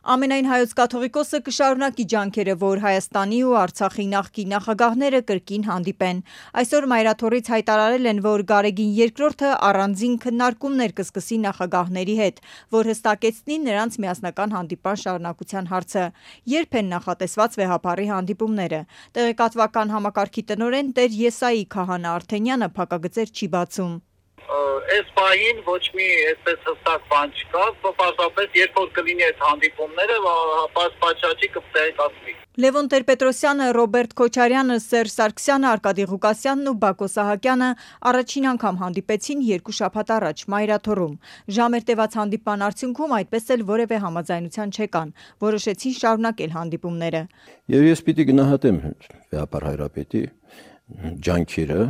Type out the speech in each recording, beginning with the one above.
Ամենայն հայոց կաթողիկոսը կշարունակի ջանքերը, որ Հայաստանի ու Արցախի նախկին նախագահները կրկին հանդիպեն։ Այսօր մայրաթոռից հայտարարել են, որ Գարեգին II-ը առանձին քննարկումներ կսկսի նախագահների հետ, որ հստակեցնի նրանց միասնական հանդիպան շարունակության հարցը։ Երբ են նախատեսված վեհափառի հանդիպումները։ Տեղեկատվական համակարգի տնօրեն Տեր Եսայի Քահանա Արթենյանը փակագծեր չի բացում։ Այս պահին ոչ մի այսպես հստակ բան չկա, պարզապես երբ որ կլինի այդ հանդիպումները, պատշաճի կտեղեկացվի։ Լևոն Տեր-Պետրոսյանը, Ռոբերտ Քոչարյանը, Սերժ Սարգսյանը, Արկադի Ղուկասյանն ու Բակո Սահակյանը առաջին անգամ հանդիպեցին 2 շաբաթ առաջ Մայրաթոռում։ Ժամեր տևած հանդիպման արդյունքում այդպես էլ որևէ համաձայնության չեկան, որոշեցին շարունակել հանդիպումները։ Եվ ես պիտի գնահատեմ վեհապար Հայրապետի ջանքերը,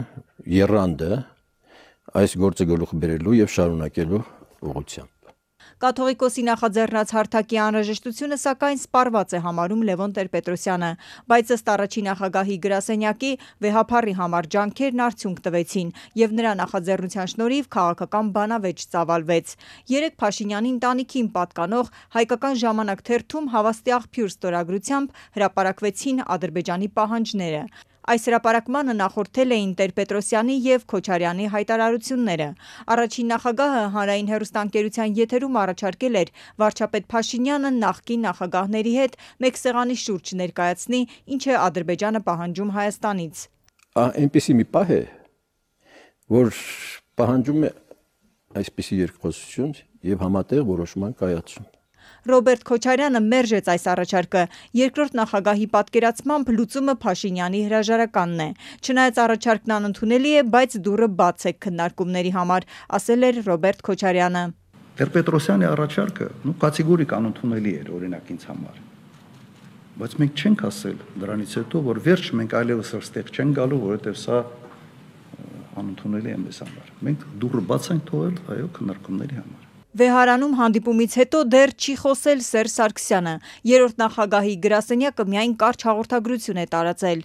եռանդը այս գործը գլուխ բերելու եւ շարունակելու ուղղությամբ։ Կաթողիկոսի նախաձեռնած հարթակի անհրաժեշտությունը սակայն սպառված է համարում Լևոն Տեր-Պետրոսյանը, բայց ըստ առաջին նախագահի գրասենյակի վեհափառի համար ջանքերն արդյունք տվեցին եւ նրա նախաձեռնության շնորհիվ քաղաքական բանավեճ ծավալվեց։ Երեկ Փաշինյանի ընտանիքին պատկանող Հայկական ժամանակ թերթում հավաստի աղբյուր ստորագրությամբ հրապարակվեցին Ադրբեջանի պահանջները։ Այս հրապարակմանը նախորդել էին Տեր-Պետրոսյանի եւ Քոչարյանի հայտարարությունները։ Առաջին նախագահը հանրային հեռուստաընկերության եթերում առաջարկել էր վարչապետ Փաշինյանը նախկին նախագահների հետ մեկ սեղանի շուրջ ներկայացնի, ինչ է Ադրբեջանը պահանջում Հայաստանից։ Այնպիսի մի պահ է, որ պահանջում է այսպիսի երկխոսություն եւ համատեղ որոշման կայացում։ Ռոբերտ Քոչարյանը մերժեց այս առաջարկը։ Երկրորդ նախագահի պատկերացմամբ լուծումը Փաշինյանի հրաժարականն է։ Չնայած առաջարկն անընդունելի է, բայց դուռը բաց է քննարկումների համար, ասել էր Ռոբերտ Քոչարյանը։ Տեր-Պետրոսյանի առաջարկը կատեգորիկ անընդունելի էր օրինակ ինձ համար։ Բայց մենք չենք ասել դրանից հետո, որ վերջ մենք այլևս այստեղ չենք գալու, որովհետև սա անընդունելի է մեզ համար։ Մենք դուռը բաց ենք թողել, այո, քննարկումների համար։ Վեհարանում հանդիպումից հետո դեռ չի խոսել Սերժ Սարգսյանը։ Երրորդ նախագահի գրասենյակը միայն կարճ հաղորդագրություն է տարածել։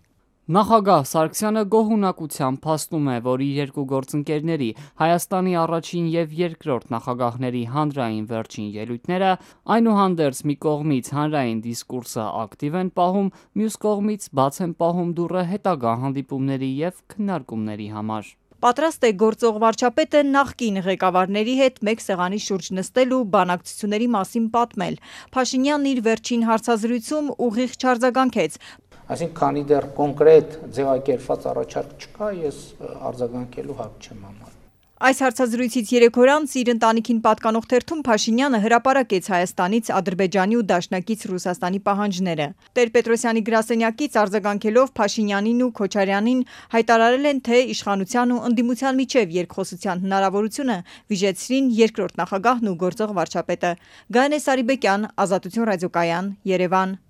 Նախագահ Սարգսյանը գոհունակությամբ փաստում է, որ իր երկու գործընկերների Հայաստանի առաջին եւ երկրորդ նախագահների հանրային վերջին ելույթները այնուհանդերձ մի կողմից հանրային դիսկուրսը ակտիվ են պահում, մյուս կողմից բաց են պահում դուռը հետագա հանդիպումների եւ քննարկումների համար։ Պատրաստ է գործող վարչապետը նախկին ղեկավարների հետ մեկ սեղանի շուրջ նստել ու բանակցությունների մասին պատմել։ Փաշինյանն իր վերջին հարցազրույցում ուղիղ չարձագանքեց։ Այսինքն, քանի դեռ կոնկրետ ձևակերպված առաջարկ չկա, ես արձագանքելու հակ չեմ համարում։ Այս հարցազրույցից 3 օր անց իր ընտանիքին պատկանող թերթում Փաշինյանը հրապարակեց Հայաստանից Ադրբեջանի ու դաշնակից Ռուսաստանի պահանջները։ Տեր-Պետրոսյանի գրասենյակից արձագանքելով Փաշինյանին ու Քոչարյանին հայտարարել են, թե իշխանության ու ընդդիմության միջև երկխոսության հնարավորությունը վիժեցրին երկրորդ նախագահն ու գործող վարչապետը։ Գայանե Սարիբեկյան, Ազատություն ռադիոկայան, Երևան։